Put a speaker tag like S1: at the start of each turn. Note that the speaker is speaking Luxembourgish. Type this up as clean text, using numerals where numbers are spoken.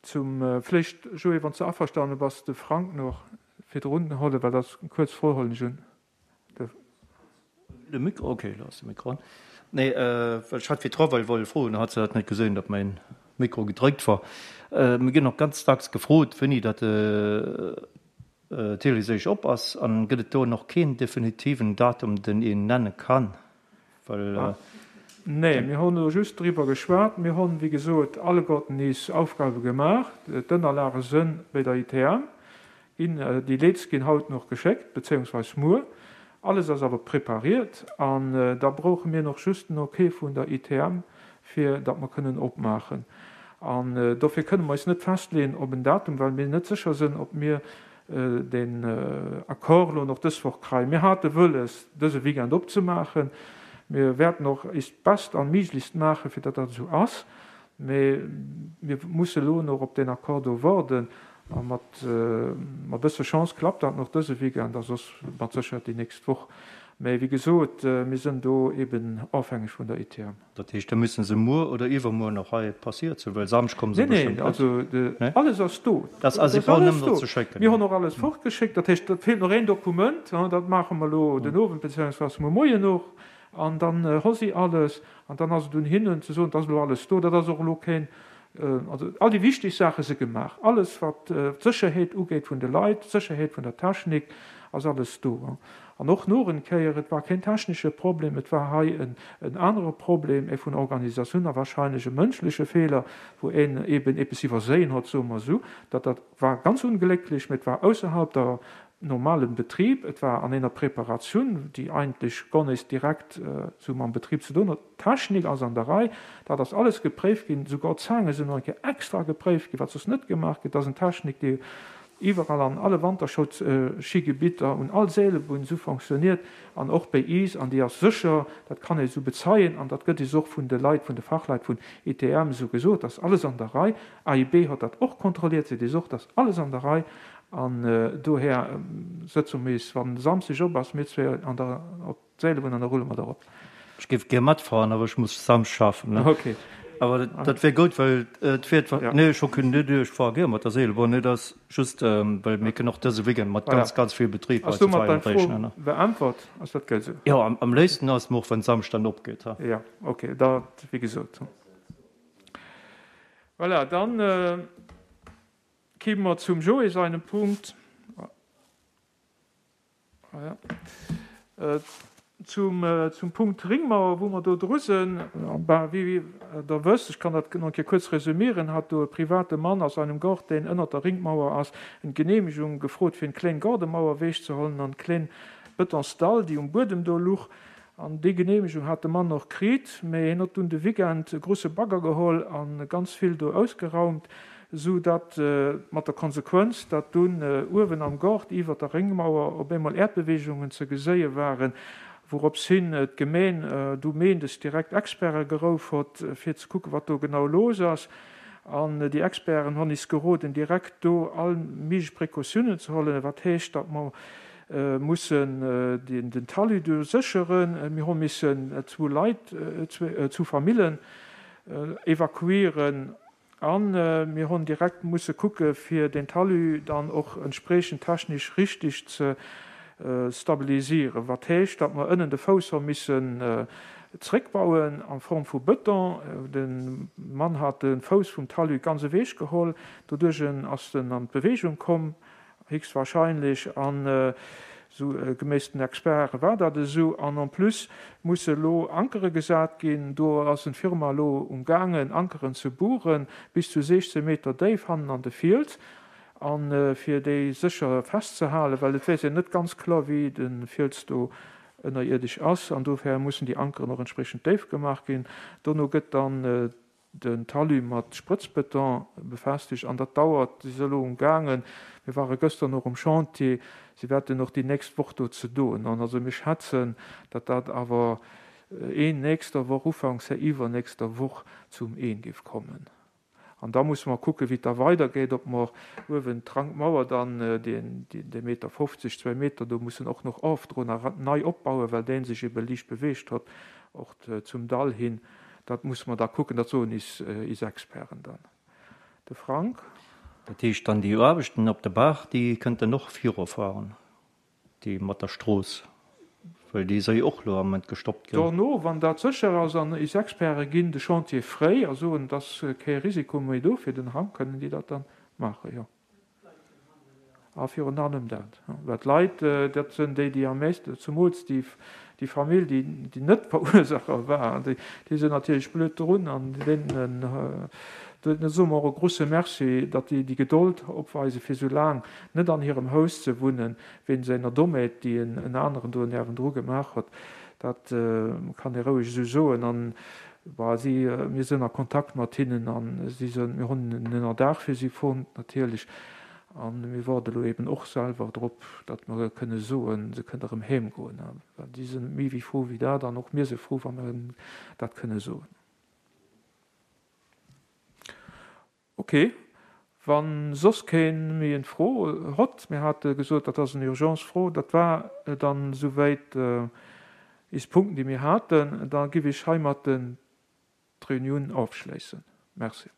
S1: Zum, vléicht, Joé, wann s de averstane bass, de Frank nach virdrun hollen, well dat ass eng kuerz Fro, hollen ech un.
S2: De Mikro, okay, elo ass de Mikro an. Nee, well ech hat virdru well wollt froen, hat se dat net gesinn, datt mäin Mikro gedréckt war. Mir ginn och ganz dacks gefrot, wéini datt d'Élysée op ass. An gëtt et do nach keen definitiven Datum, den een nenne kann?
S1: Well. Nee, mir hunn elo just driwwer geschwat. Mir hunn, wéi gesot, alleguerten nees Aufgabe gemaach. D'Ënnerlage sënn bei der ITM ginn. Déi Leets ginn haut nach geschéckt, bezéiungsweis muer. Alles ass awer prepariert an da brauche mir nach just den Ok vun der ITM, fir datt mer kënnen opmaachen. An dofir kënne mer eis net festleeën op en Datum, well mir net sécher sënn, ob mir deen Accord elo nach dës Woch kreien. Mir hate wëlles, dëse Weekend opzemaachen. Mir wäerten och eist Best an Miiglichst maachen, fir datt dat esou ass. Mee mir musse elo nach op deen Accord do warden. A mat e bësse Chance klappt dat nach dëse Weekend a soss mat Sécherheet déi nächst Woch. Mee wéi gesot, mir sënn do eeben ofhängeg vun der ITM.
S2: Dat heescht, da müssen se muer oder iwwermuer nach hei passiert sinn, well Samschd komme se
S1: bestëmmt net. Nee, nee, also alles ass do. Dat ass
S2: alles do. Ze schécken.
S1: Mir hunn och alles fortgeschéckt. Dat heescht, et feelt nach een Dokument, dat maache mer elo den Owend beziéungsweis muer Moien och. An dann hu si alles. An dann ass et un hinnen ze soen, et ass elo alles do. Dat ass och elo keen, also all déi wichteg Saache si gemaach. Alles wat d'Sécherheet ugeet vun de Leit, d'Sécherheet vun der Technik, ass alles do. An och noch en Kéier, et war keen technesche Problem, et war hei en anere Problem, ee vun Organisatioun a wahrscheinlech e mënschleche Feeler, wou een eben eppes iwwerséien hott, soe mer esou. Dat dat war ganz unglécklech, mä et war ausserhalb der normalen Betrib, et war an eener Preparatioun, déi eigentlech gar nees direkt esou mam Betrib ze doen hott. D'Technik ass an der Rei, dat ass alles gepréift ginn, souguer d'Zaange sinn nach eng Kéier extra gepréift ginn, wat soss net gemaach gëtt. Dat ass en Technik, déi iwwerall an alle Wanterschoulschigebitter, un all Seelebunn esou fonctionniert an och béi iis, an déi ass sécher, dat kann ee esou bezeien an dat gëtt iis och vun de Leit, vun de Fachleit vun ITM esou gesot, dat ass alles an der Rei. AIB hott dat och kontrolliert, seet iis och, dat ass alles an der Rei an dohär sëtze mir iis, wann Samsdeg op ass, mir zwee an der, op D'Seelebunn an da rulle mer der op.
S2: Ech géif gär matfahren, awer ech muss Samsch schaffen, ne?
S1: Ok.
S2: Awer dat wär goud, well et fiert, nee, ech hocken net, ech fahre gär mat der Seelebunn, et ass just, well mir kënnen och dëse Weekend mat ganz, ganz vill Betrib
S1: hei zu feiern réichen, ne? Ass domat deng Fro beäntwert? Ass dat gëll sou?
S2: Jo, am léifsten ass mer och, wann Samsch dann opgeet, ha.
S1: Jo, ok, dat, wéi gesot. Voilà, dann kime mer zum Joé seinem Punkt. Zum Punkt Ringmauer, wou mer do dru sinn, wéi Der wësst, ech kann dat nach eng Kéier kuerz resümieren, hat do e private Mann aus einem Gaart, deen ënnert der Ringmauer ass, eng Genehmegung gefrot, fir eng kléng Gaardemauer ewechzehollen an kléng Betonsdall, déi um Buedem do luch. An déi Genehmegung hat de Mann och kritt, mä hien hott dunn de Weekend e grusse Bagger geholl a ganz vill do ausgeraumt, sou datt mat der Konsequenz, datt dunn uewen am Gaart iwwert der Réngmauer op eemol Äerdbeweegungen ze geséie waren, wourops hin d'Gemeen du méindes direkt Experte gerouf hott, fir ze kucken, wat do genau los ass. An déi Experten honn is geroden, direkt do all méiglech Precautiounen ze hollen, wat heescht, datt mer mussen den Talus do sécheren. Mir hu missen zwou Leit, zwou Famillen evakuieren a mir hunn direkt musse kucke fir den Talus dann och entspriechend technesch richtig ze stabilisieren, wat heescht, datt mer ënnen de Fouss hu missen zréckbauen a Form vu Bëton. De Mann hat de Fouss vum Talus ganz ewechgeholl, doduerch ass en an d'Bewegung komm. Héchstwahrscheinlech, an esou geméiss den Experte war dat esou. An en plus musse elo Ankere gesat ginn. Do ass en Firma elo um gaangen Ankeren ze buren, bis zu 16 Meter déif hannen an de Fiels, a fir déi sécher festzehalen, well et weess een net ganz kloer wéi de Fiels do ënnerierdesch ass. An dofir mussen déi Ankeren och entspriechend déif gemaach ginn. Dono gëtt dann den Talus mat Sprëtzbeton befestegt an dat dauert, si se elo um gaangen, mir ware gëschter nach um Chantier, si wäerten och déi nächst Woch do ze doen an also mir schätzen, datt dat awer een nächster Woch, ufanks iwwernächster Woch zum Een géif kommen. An da musse mer kucken, wéi et da weidergeet, ob mer uewen d'Rankmauer dann, dee Meter 50, zwéi Meter do mussen och nach ofdroen a nei opbauen, well dee sech ebe liicht beweegt hott, och zum Dall hin. Dat musse mer da kucken, dat soen is is Experten dann. De Frank.
S2: Dat heescht dann déi Aarbechten op der Baach, déi kënnten och virufahren, déi mat der Strooss, well déi soll jo och elo am Moment gestoppt ginn.
S1: Dono, wann dat sécher ass an is Experte ginn de Chantier fréi a soen, et ass kee Risiko méi do fir den Hang, kënnen déi dat dann maachen, jo. A virun allem dat, well d'Leit, dat sinn déi, déi am meeschten, zumools déi, déi Famill, déi, déi net d'Verursacher war, déi, déi sinn natierlech blöd drun. An deenen, deene soe mer och e grouse Merci, datt déi déi Gedold opweisen, fir esou laang net an hirem Haus ze wunnen, wéinst enger Dommheet, déi en, en aneren do niewendru gemaach huet. Dat kann ee roueg esou soen. An Bon, si, mir sinn a Kontakt mat hinnen a si sinn, mir hunn en Ënnerdaach fir si fonnt natierlech a mir waarde elo eben och selwer drop, datt mer kënne soen, se kënne erëm heem goen. Well si sinn méi wéi frou wéi dat an och mir si frou, wa mer dat kënne soen. Ok, wann soss keen méi en Fro hott, mir hate gesot dat ass en Urgence Fro, dat war dann esouwäit is Punkten déi mir haten, da giff ech heimatten d'Reunioun ofschléissen. Merci.